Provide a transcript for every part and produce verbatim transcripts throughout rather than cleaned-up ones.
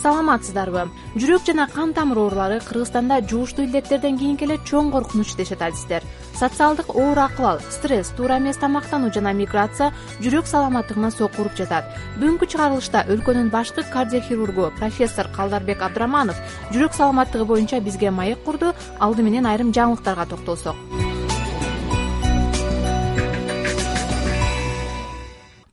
саламатсыздарбы? Жүрөк жана кан тамыр оорулары Кыргызстанда жугуштуу илдеттерден кийинки эле чоң коркунуч дешет адистер. Социалдык оор акыбал, стресс, туура эмес тамактануу жана миграция жүрөк саламаттыгына сокку уруп жатат. Бүгүнкү чыгарылышта өлкөнүн башкы кардиохирургу профессор Калдарбек Абдраманов жүрөк саламаттыгы боюнча бизге маек курду. Алды менен айрым жаңылыктарга токтолсок.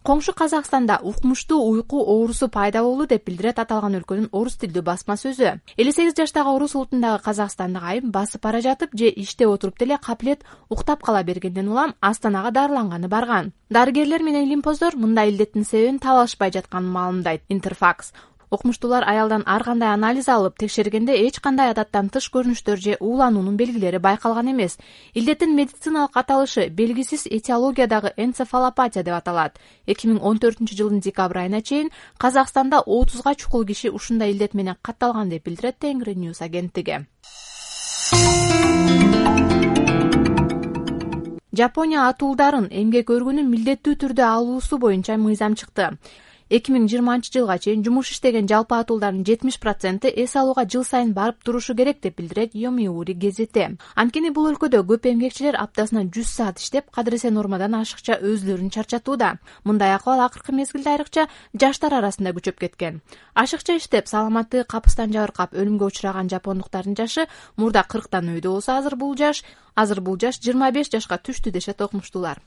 Коңшу Казакстанда укмуштуу уйку оорусу пайда болду деп билдирет аталган өлкөнүн орус тилдүү басма сөзү. элүү сегиз жаштагы орус улутундагы казакстандык айым басып бара жатып же иште отуруп деле капилет уктап кала бергенден улам Астанага дарыланганы барган. Дарыгерлер менен илимпоздор мындай илдеттин себебин таба алышпай жатканын маалымдайт Интерфакс. Окумуштуулар аялдан ар кандай анализ алып текшергенде эч кандай адаттан тыш көрүнүштөр же уулануунун белгилери байкалган эмес. Илдеттин медициналык аталышы белгисиз этиологиядагы энцефалопатия деп аталат. эки миң он төртүнчү жылдын декабрь айына чейин Казакстанда отузга чукул киши ушундай илдет менен катталган деп билдирет Тенгри Ньюс агенттиги. Жапония атуулдарын эмгек өргүнү милдеттүү түрдө алуусу боюнча мыйзам чыкты. эки миң жыйырманчы жылга чейин жумуш иштеген жалпы атуулдардын жетимиш проценти эс алууга жыл сайын барып турушу керек деп билдирет Йомиури гезити. Анткени бул өлкөдө көп эмгекчилер аптасына жүз саат иштеп, кадыресе нормадан ашыкча өзүлөрүн чарчатууда. Мындай акыбал акыркы мезгилде айрыкча жаштар арасында күчөп кеткен. Ашыкча иштеп, саламаттыгы капыстан жабыркап өлүмгө учураган жапондуктардын жашы мурда кырктан өйдө болсо, азыр бул жаш азыр бул жаш жыйырма беш жашка түштү дешет окумуштуулар.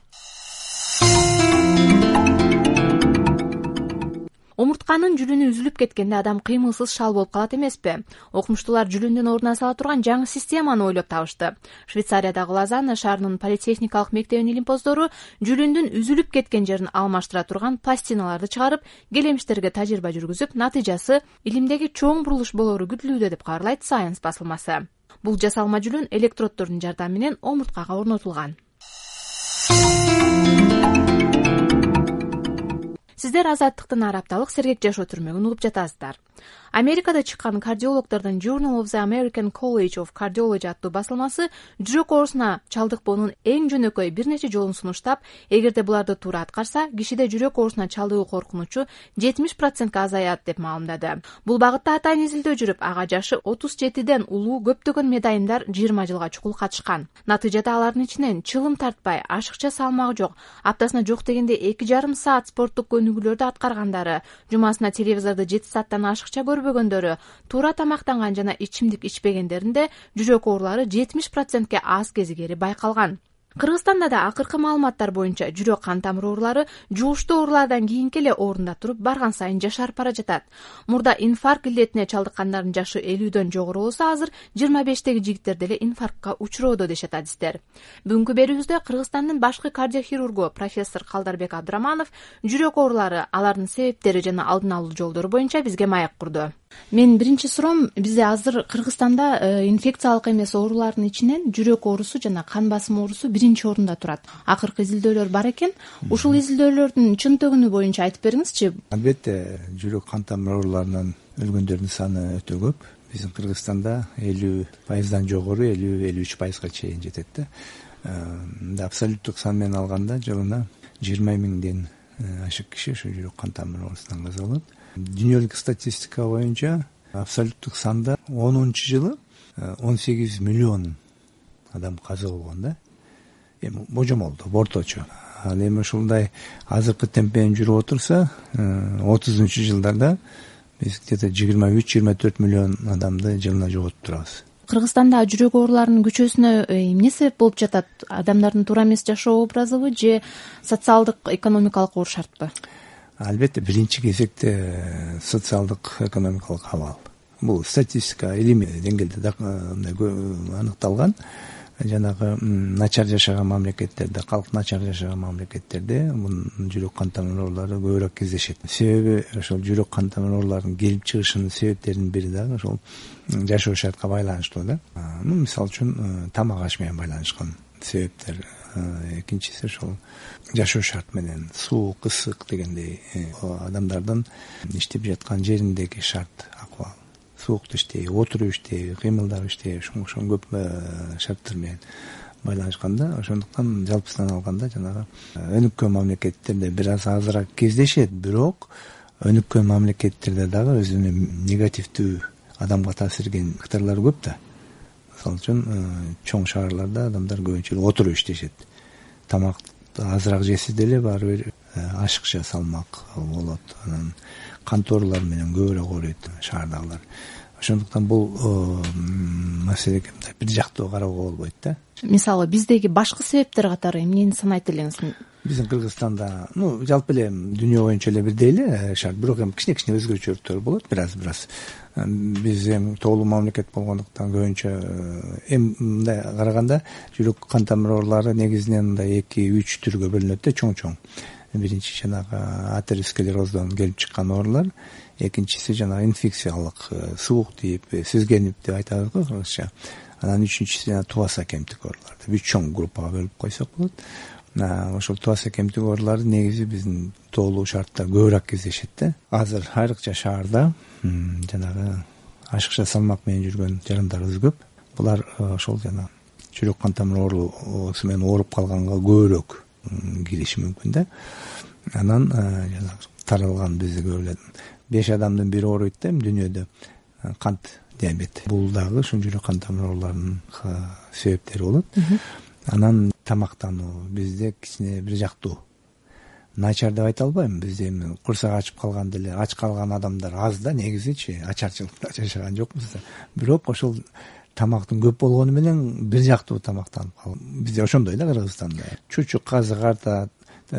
Омуртканын жүлүнү үзүлүп кеткенде адам кыймылсыз шал болуп калат эмеспи? Окумуштуулар жүлүндүн ордуна сала турган жаңы системаны ойлоп табышты. Швейцариядагы Лозанна шаарынын политехникалык мектебинин илимпоздору жүлүндүн үзүлүп кеткен жерин алмаштыра турган пластиналарды чыгарып, келемиштерге тажрыйба жүргүзүп, натыйжасы илимдеги чоң бурулуш болоору күтүлүүдө деп кабарлайт Science басылмасы. Бул жасалма жүлүн электроддордун жардамы менен омурткага орнотулган. Сиздер Азаттыктын ар апталык сергек жашоо түрмөгүн угуп жатасыздар. Америкада чыккан кардиологдордун Journal of the American College of Cardiology аттуу басылмасы жүрөк оорусуна чалдыкпоонун эң жөнөкөй бир нече жолун сунуштап, эгерде буларды туура аткарса, кишиде жүрөк оорусуна чалдыгуу коркунучу жетимиш процентке азаят деп маалымдады. Бул багытта атайын изилдөө жүрүп, ага жашы отуз жетиден улуу көптөгөн медайындар жыйырма жылга чукул катышкан. Натыйжада алардын ичинен чылым тартпай, ашыкча салмагы жок, аптасына жок дегенде эки жарым саат спорттук көнүгүүлөрдү аткаргандары, жумасына телевизорду жети сааттан ашыкча көрбөгөндөрү, туура тамактанган жана ичимдик ичпегендеринде жүрөк оорулары жетимиш процентке аз кезигери байкалган. Кыргызстанда да акыркы маалыматтар боюнча жүрөк кан тамыр оорулары жугуштуу оорулардан кийинки эле орунда туруп барган сайын жашарып бара жатат. Мурда инфаркт илдетине чалдыккандардын жашы элүүдөн жогору болсо, азыр жыйырма бештеги жигиттер деле инфарктка учуроодо дешет адистер. Бүгүнкү берүүбүздө Кыргызстандын башкы кардиохирургу профессор Калдарбек Абдраманов жүрөк оорулары, алардын себептери жана алдын алуу жолдору боюнча бизге маек курду. Мен биринчи суроом, бизде азыр Кыргызстанда инфекциялык эмес оорулардын ичинен жүрөк оорусу жана кан басым оорусу биринчи орунда турат. Акыркы изилдөөлөр бар экен. Ушул изилдөөлөрдүн чын төгүнү боюнча айтып бериңизчи. Албетте, жүрөк кан тамыр ооруларынан өлгөндөрдүн саны өтө көп. Биздин Кыргызстанда элүү пайыздан жогору, элүү элүү үч пайызга чейин жетет да. Абсолюттук сан менен алганда жылына жыйырма миңден ашык киши ошо жүрөк кан тамыр оорусунан каза болот. Дүйнөлүк статистика боюнча абсолюттук санда онунчу жылы он сегиз миллион адам каза болгон да. Эми божомолдо, орточо. Ал эми ушундай азыркы темп менен жүрүп отурса, отузунчу жылдарда биз где-то жыйырма үч жыйырма төрт миллион адамды жылына жоготуп турабыз. Кыргызстанда жүрөк ооруларынын күчөөсүнө эмне себеп болуп жатат? Адамдардын туура эмес жашоо образыбы же социалдык, экономикалык оор шартпы? Албетте, биринчи кезекте социалдык, экономикалык абал. Бул статистика илимий деңгээлде аныкталган. Жанагы начар жашаган мамлекеттерде, калк начар жашаган мамлекеттерде мунун жүрөк кан тамыр оорулары көбүрөөк кездешет. Себеби ошол жүрөк кан тамыр ооруларынын келип чыгышынын себептеринин бири дагы ошол жашоо шартка байланыштуу да. Ну, мисалы үчүн тамак аш менен байланышкан себептер. Экинчиси ошол жашоо шарт менен суук, ысык дегендей адамдардын иштеп жаткан жериндеги шарт акыбал. Суукта иштеби, отуруп иштеби, кыймылдап иштеби, ошо көп шарттар менен байланышканда, ошондуктан жалпысынан алганда жанагы өнүккөн мамлекеттерде бир аз азыраак кездешет, бирок өнүккөн мамлекеттерде дагы өзүнүн негативдүү адамга таасир эткен факторлор көп да. Мисалы үчүн чоң шаарларда адамдар көбүнчө отуруп иштешет. Тамакты азыраак жесе деле баары бир ашыкча салмак болот. Анан конторалар менен көбүрөөк ооруйт шаардагылар. Ошондуктан бул маселеге бир жактуу кароого болбойт да. Мисалы биздеги башкы себептер катары эмнени санайт элеңиз? Биздин Кыргызстанда, ну жалпы эле дүйнө боюнча эле бирдей эле шарт, бирок эми кичине-кичине өзгөчөлүктөр болот, бир-аз-бир-аз. Биз эми тоолуу мамлекет болгондуктан көбүнчө эми мындай караганда жүрөк кан тамыр оорулары негизинен мындай эки үч түргө бөлүнөт да, чоң-чоң. Биринчи жанагы атеросклероздон келип чыккан оорулар, экинчиси жанагы инфекциялык суук тийип, сезгенип деп айтабыз го кыргызча. Анан үчүнчүсү жана тубаса кемтик оорулар деп үч чоң группага бөлүп койсок болот. Ошол тубаса кемтик оорулары негизи биздин тоолуу шартта көбүрөөк кездешет да. Азыр айрыкча шаарда жанагы ашыкча салмак менен жүргөн жарандарыбыз көп. Булар ошол жана жүрөк кан тамыр оорусу менен ооруп калганга көбүрөөк кириши мүмкүн да. Анан жанагы таралган бизде көп эле беш адамдын бири ооруйт да дүйнөдө кант диабет. Бул дагы ушул жүрөк кан тамыр ооруларынын себептери болот. Анан тамактануу бизде кичине бир жактуу начар деп айта албайм. Бизде эми курсак ачып калганда эле ач калган адамдар аз да, негизичи ачарчылыкта жашаган жокпуз да. Бирок ошол тамактын көп болгону менен бир жактуу тамактанып калып, бизде ошондой да Кыргызстанда. Чучук казык артат,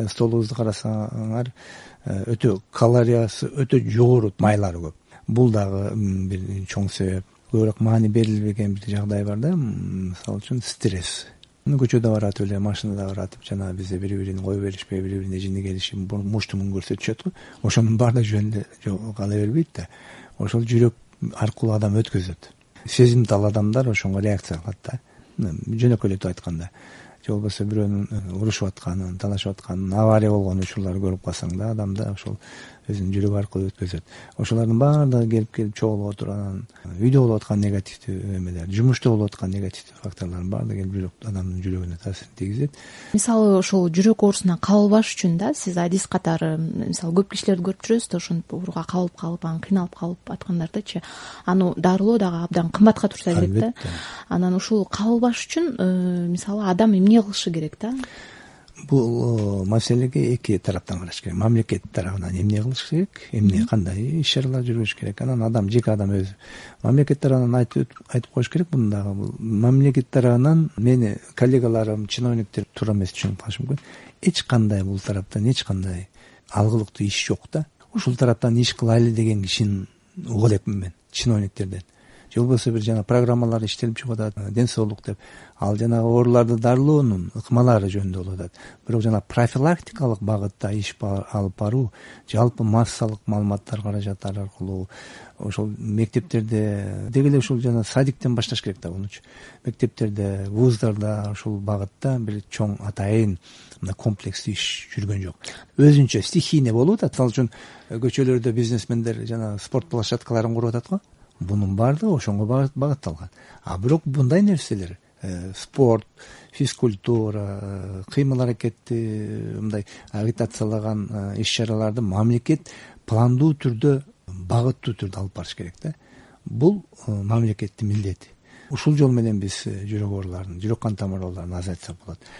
столубузду карасаңар өтө калориясы өтө жогору, майлары көп. Бул дагы бир чоң себеп. Көбүрөөк маани берилбеген бир жагдай бар да, мисалы үчүн стресс. Көчөдө баратып эле, машинада баратып жана бизде бири-бирин кое беришпей, бири-бирине жини келишип, муштумун көрсөтүшөт го. Ошонун баары да жөн эле кала бербейт да. Ошол жүрөк аркылуу адам өткөзөт. Сезимтал адамдар ошонго реакция кылат да. Жөнөкөйлөтүп айтканда, же болбосо бирөөнүн урушуп атканын, талашып атканын, авария болгон учурларды көрүп калсаң да, адам да ошол өзүнүн жүрөгү аркылуу өткөзөт. Ошолордун баардыгы келип-келип чогулуп отуруп, анан үйдө болуп аткан негативдүү эмелер, жумушта болуп аткан негативдүү факторлордун баардыгы келип жүрөк адамдын жүрөгүнө таасирин тийгизет. Мисалы ошол жүрөк оорусуна кабылбаш үчүн да сиз адис катары, мисалы көп кишилерди көрүп жүрөсүз да, ошентип ооруга кабылып калып, анан кыйналып калып аткандардычы, аны дарылоо дагы абдан кымбатка турса керек да. Анан ушул кабылбаш үчүн мисалы адам эмне кылышы керек да? Бул маселеге эки тараптан караш керек. Мамлекет тарабынан эмне кылыш керек, эмне кандай иш чаралар жүргүзүш керек. Анан адам, жеке адам өзү. Мамлекет тарабынан айтып айтып коюш керек муну дагы. Мамлекет тарабынан мени коллегаларым, чиновниктер туура эмес түшүнүп калышы мүмкүн. Эч кандай бул тараптан эч кандай алгылыктуу иш жок да. Ушул тараптан иш кылайлы деген кишини угуп элекмин мен, чиновниктерден. Же болбосо бир жана программалар иштелип чыгып атат, ден соолук деп. Ал жанагы ооруларды дарылоонун ыкмалары жөнүндө болуп атат. Бирок жана профилактикалык багытта иш алып баруу, жалпы массалык маалыматтар каражаттары аркылуу ошол мектептерде, деги эле ушул жана садиктен башташ керек да мунучу. Мектептерде, вуздарда ушул багытта бир чоң атайын комплекстүү иш жүргөн жок. Өзүнчө стихийный болуп атат. Мисалы үчүн көчөлөрдө бизнесмендер жана спорт площадкаларын куруп атат го. Бунун баардыгы ошонго багытталган. А бирок мындай нерселер, спорт, физкультура, кыймыл аракетти мындай агитациялаган иш чараларды мамлекет пландуу түрдө, багыттуу түрдө алып барыш керек да. Бул мамлекеттин милдети. Ушул жол менен биз жүрөк ооруларын, жүрөк кан тамыр ооруларын азайтсак болот.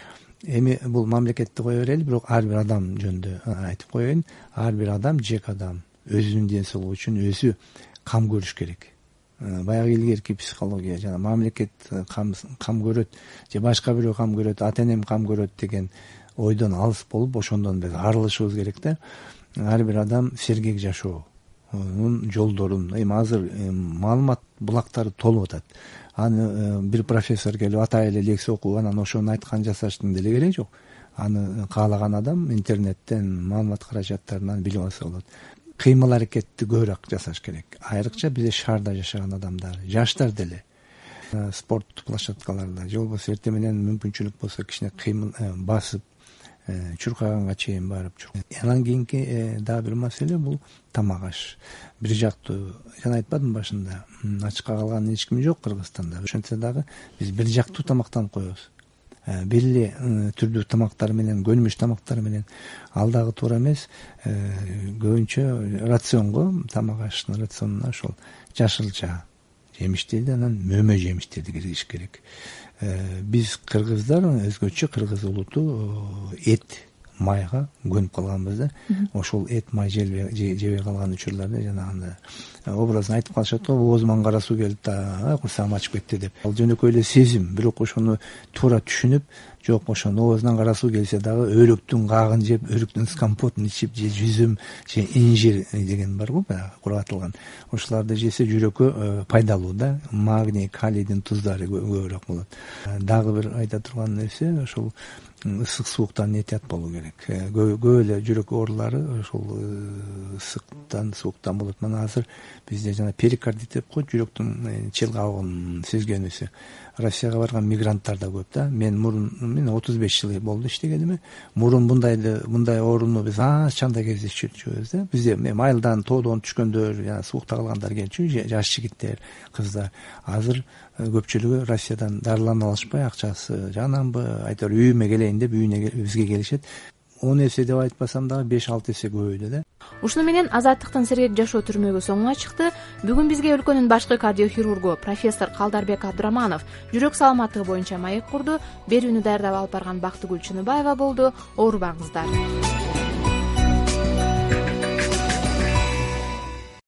Эми бул мамлекетти кое берели, бирок ар бир адам жөнүндө айтып коеюн. Ар бир адам, жеке адам өзүнүн ден соолугу үчүн өзү кам көрүш керек. Баягы илгерки психология жана мамлекет кам кам көрөт же башка бирөө кам көрөт, ата энем кам көрөт деген ойдон алыс болуп, ошондон биз арылышыбыз керек да. Ар бир адам сергек жашоонун жолдорун, эми азыр маалымат булактары толуп атат. Аны бир профессор келип атай эле лекция окуп, анан ошону айткан жасаштын деле кереги жок. Аны каалаган адам интернеттен, маалымат каражаттарынан билип алса болот. Кыймыл аракетти көбүрөөк жасаш керек. Айрыкча бизде шаарда жашаган адамдар, жаштар деле спорт площадкаларында же болбосо эртең менен мүмкүнчүлүк болсо кичине кыймыл басып, чуркаганга чейин барып. Анан кийинки дагы бир маселе бул тамак аш. Бир жактуу, жана айтпадым башында, ачыкка калган эч ким жок Кыргызстанда. Ошентсе дагы биз бир жактуу тамактанып коебуз. бир эле түрдүү тамактар менен, көнүмүш тамактар менен ал дагы туура эмес. Көбүнчө рационго, тамак ашынын рационуна ошол жашылча жемиштерди, анан мөмө жемиштерди киргизиш керек. Биз кыргыздар өзгөчө, кыргыз улуту эт, майга көнүп калганбыз да. Ошол эт, май жебей калган учурларда жанагындай образын айтып калышат го, оозума кара суу келип да курсагым ачып кетти деп. Ал жөнөкөй эле сезим, бирок ошону туура түшүнүп, жок ошону оозунан кара суу келсе дагы өрүктүн кагын жеп, өрүктүн компотун ичип, же жүзүм, же инжир деген бар го, баягы кургатылган. Ошолорду жесе жүрөккө пайдалуу да, магний, калийдин туздары көбүрөөк болот. Дагы бир айта турган нерсе, ошол ысык сууктан этият болуу керек. Көп эле жүрөк оорулары ошол ысыктан, сууктан болот. Мына азыр бизде жана перикардит деп коет, жүрөктүн чылгабын сезгенүүсү. Россияга барган мигранттар да көп да. Мен мурун мен отуз беш жыл болду иштегениме. Мурун мындайды, мындай ооруну биз аз чанда кездешчүбүз да. Бизде майылдан, тоодон түшкөндөр, жана суукта калгандар келчү, жаш жигиттер, кыздар. Азыр көпчүлүгү Россиядан дарылана алышпай, акчасы жанамбы, айтор үйүмө келейин деп үйүнө бизге келишет. он эсе деп айтпасам дагы беш алты эсе көбөйдү да. Ушуну менен Азаттыктын сергек жашоо түрмөгү соңуна чыкты. Бүгүн бизге өлкөнүн башкы кардиохирургу профессор Калдарбек Абдыраманов жүрөк саламаттыгы боюнча маек курду. Берүүнү даярдап алып барган Бактыгүл Чыныбаева болду. Оорубаңыздар.